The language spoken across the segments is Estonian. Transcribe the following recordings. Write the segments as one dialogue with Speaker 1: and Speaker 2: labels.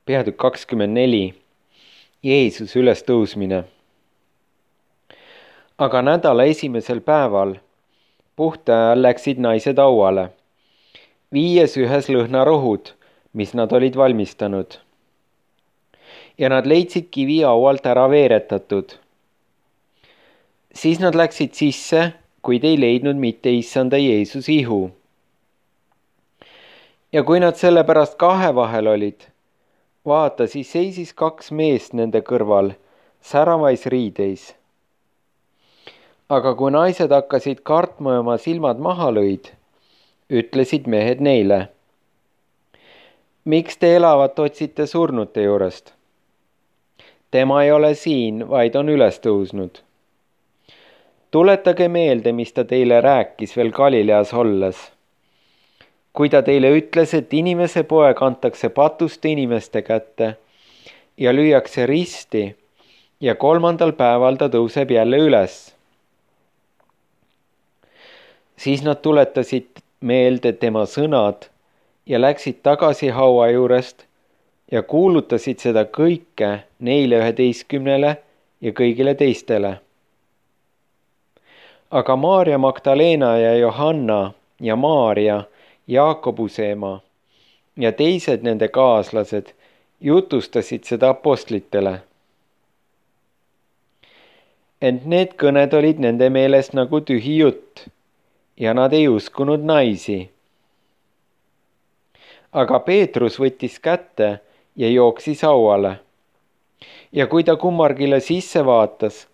Speaker 1: Peatükk 24. Jeesuse ülestõusmine. Aga nädala esimesel päeval puhta ajal läksid naised hauale, viies ühes lõhnarohud, mis nad olid valmistanud. Ja nad leidsid kivi haualt ära veeretatud. Siis nad läksid sisse, kuid ei leidnud mitte issanda Jeesuse ihu. Ja kui nad sellepärast kahe vahel olid, vaata, siis seisis kaks meest nende kõrval, säravais riideis. Aga kui naised hakkasid kartma ja oma silmad maha lõid, ütlesid mehed neile: miks te elavat otsite surnute juurest? Tema ei ole siin, vaid on üles tõusnud. Tuletage meelde, mis ta teile rääkis veel Galileas olles. Kui ta teile ütles, et inimese poeg antakse patuste inimeste kätte ja lüüakse risti ja 3. päeval ta tõuseb jälle üles. Siis nad tuletasid meelde tema sõnad ja läksid tagasi haua juurest ja kuulutasid seda kõike neile 11 ja kõigile teistele. Aga Maarja Magdalena ja Johanna ja Maarja, Jaakobuse ema ja teised nende kaaslased jutustasid seda apostlitele. Ent need kõned olid nende meelest nagu tühi jutt ja nad ei uskunud naisi. Aga Peetrus võttis kätte ja jooksis hauale. Ja kui ta kummargile sisse vaatas,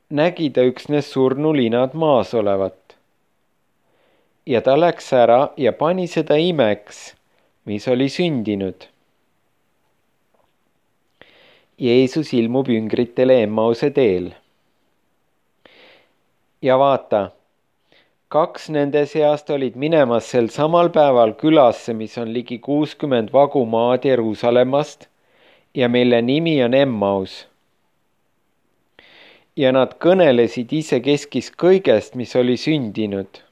Speaker 1: nägi ta üksnes surnulinad maas olevat. Ja ta läks ära ja pani seda imeks, mis oli sündinud. Jeesus ilmub jüngritele Emmause teel. Ja vaata, 2 nende seast olid minemas sel samal päeval külasse, mis on ligi 60 vagu maad Jeruusalemmast ja mille nimi on Emmaus. Ja nad kõnelesid isekeskis kõigest, mis oli sündinud.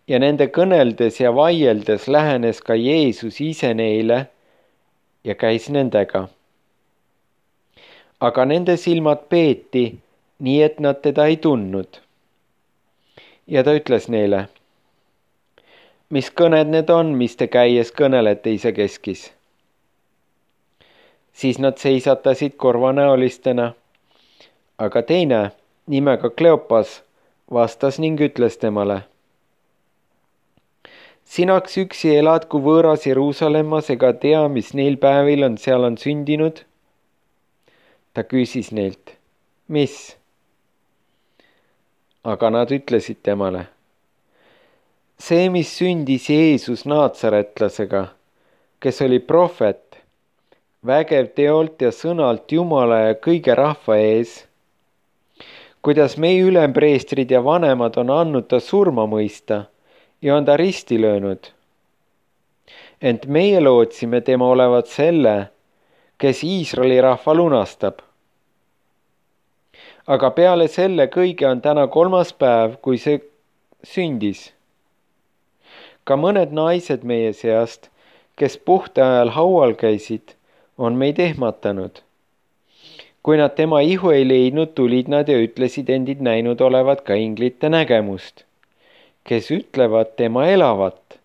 Speaker 1: Ja nende kõneldes ja vaieldes lähenes ka Jeesus ise neile ja käis nendega. Aga nende silmad peeti, nii et nad teda ei tundnud. Ja ta ütles neile: mis kõned need on, mis te käies kõnelete isekeskis? Siis nad seisatasid korvanäolistena, aga teine nimega Kleopas vastas ning ütles temale: sinaks üksi elad kui võõras Jeruusalemmas ega tea, mis neil päevil seal on sündinud? Ta küsis neilt: mis? Aga nad ütlesid temale: see, mis sündis Jeesus Naatsaretlasega, kes oli prohvet, vägev teolt ja sõnalt Jumala ja kõige rahva ees, kuidas meie ülempreestrid ja vanemad on andnud ta surma mõista ja on ta risti löönud. Ent meie lootsime tema olevat selle, kes Iisraeli rahva lunastab. Aga peale selle kõige on täna 3. päev, kui see sündis. Ka mõned naised meie seast, kes puhta ajal haual käisid, on meid ehmatanud. Kui nad tema ihu ei leidnud, tulid nad ja ütlesid endid näinud olevat ka inglite nägemust, kes ütlevad tema elavat.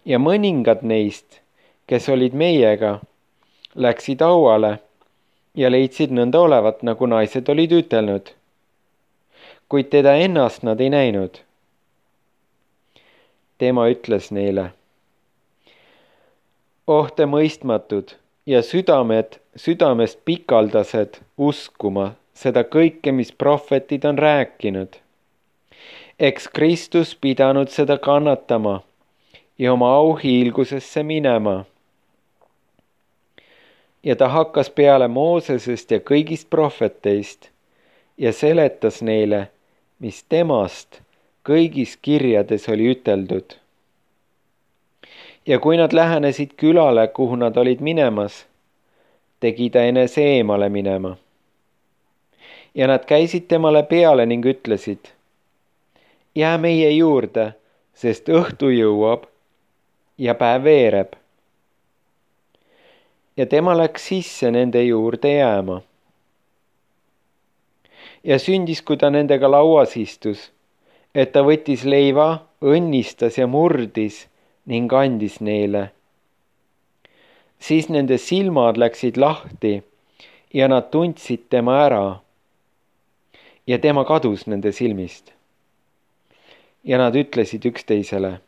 Speaker 1: Ja mõningad neist, kes olid meiega, läksid hauale ja leidsid nõnda olevat, nagu naised olid ütelnud. Kuid teda ennast nad ei näinud. Tema ütles neile: oh te mõistmatud ja südamest pikaldased uskuma seda kõike, mis prohvetid on rääkinud. Eks Kristus pidanud seda kannatama ja oma auhiilgusesse minema. Ja ta hakkas peale Moosesest ja kõigist prohveteist ja seletas neile, mis temast kõigis kirjades oli üteldud. Ja kui nad lähenesid külale, kuhu nad olid minemas, tegi ta enese eemale minema. Ja nad käisid temale peale ning ütlesid: jää meie juurde, sest õhtu jõuab ja päev veereb. ja tema läks sisse nende juurde jääma. Ja sündis, kui ta nendega lauas istus, et ta võttis leiva, õnnistas ja murdis ning andis neile. Siis nende silmad läksid lahti ja nad tundsid tema ära. Ja tema kadus nende silmist. Ja nad ütlesid üksteisele: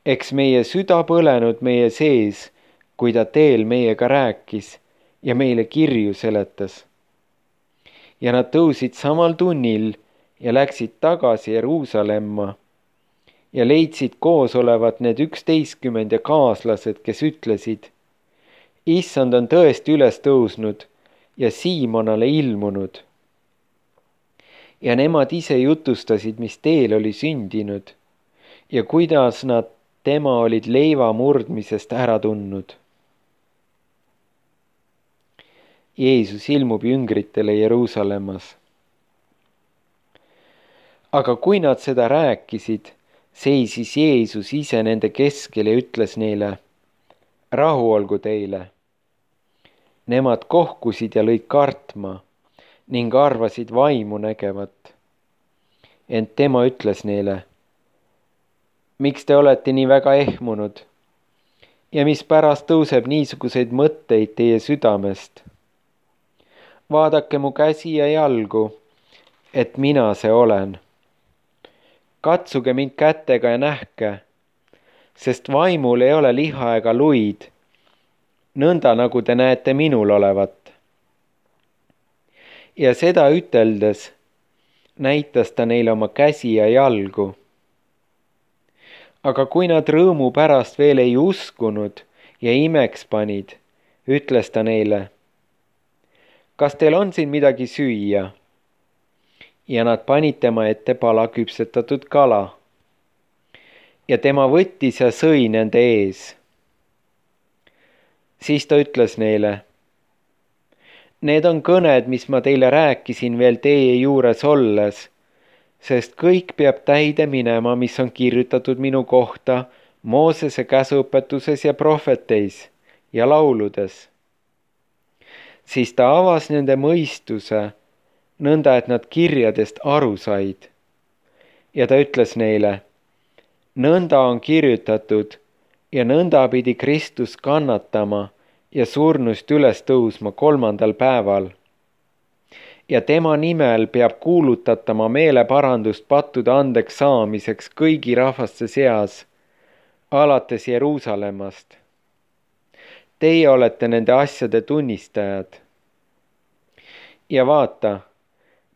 Speaker 1: eks meie süda põlenud meie sees, kui ta teel meiega rääkis ja meile kirju seletas. Ja nad tõusid samal tunnil ja läksid tagasi Jeruusalemma ja leidsid koos olevat need 11 ja kaaslased, kes ütlesid: issand on tõesti üles tõusnud ja Siimonale ilmunud. Ja nemad ise jutustasid, mis teel oli sündinud ja kuidas nad tema olid leiva murdmisest ära tundnud. Jeesus ilmub jüngritele Jeruusalemmas. Aga kui nad seda rääkisid, seisis Jeesus ise nende keskel ja ütles neile: rahu olgu teile. Nemad kohkusid ja lõid kartma ning arvasid vaimu nägevat. Ent tema ütles neile: miks te olete nii väga ehmunud ja mispärast tõuseb niisuguseid mõtteid teie südamest? Vaadake mu käsi ja jalgu, et mina see olen. Katsuge mind kätega ja nähke, sest vaimul ei ole liha ega luid, nõnda nagu te näete minul olevat. Ja seda üteldes näitas ta neile oma käsi ja jalgu. Aga kui nad rõõmu pärast veel ei uskunud ja imeks panid, ütles ta neile: kas teil on siin midagi süüa? Ja nad panid tema ette pala küpsetatud kala. Ja tema võttis ja sõi nende ees. Siis ta ütles neile: need on kõned, mis ma teile rääkisin veel teie juures olles, sest kõik peab täide minema, mis on kirjutatud minu kohta Moosese käsuõpetuses ja prohveteis ja lauludes. Siis ta avas nende mõistuse, nõnda et nad kirjadest aru said. Ja ta ütles neile: nõnda on kirjutatud ja nõnda pidi Kristus kannatama ja surnust üles tõusma 3. päeval. Ja tema nimel peab kuulutatama meeleparandust pattude andeks saamiseks kõigi rahvaste seas, alates Jeruusalemmast. Teie olete nende asjade tunnistajad. Ja vaata,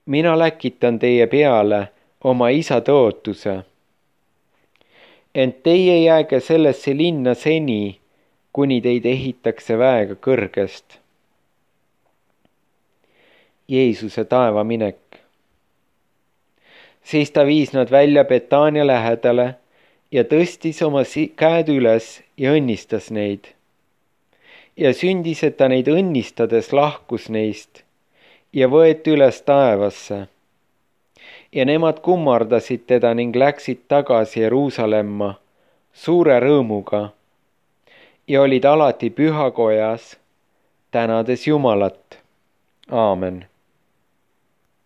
Speaker 1: mina läkitan teie peale oma isa tõotuse. Ent teie jääge sellesse linna seni, kuni teid ehitakse väega kõrgest. Jeesuse taevaminek. Siis ta viis nad välja Betania lähedale ja tõstis oma käed üles ja õnnistas neid. Ja sündis, et ta neid õnnistades lahkus neist ja võeti üles taevasse. Ja nemad kummardasid teda ning läksid tagasi Jeruusalemma suure rõõmuga ja olid alati pühakojas, tänades Jumalat. Aamen.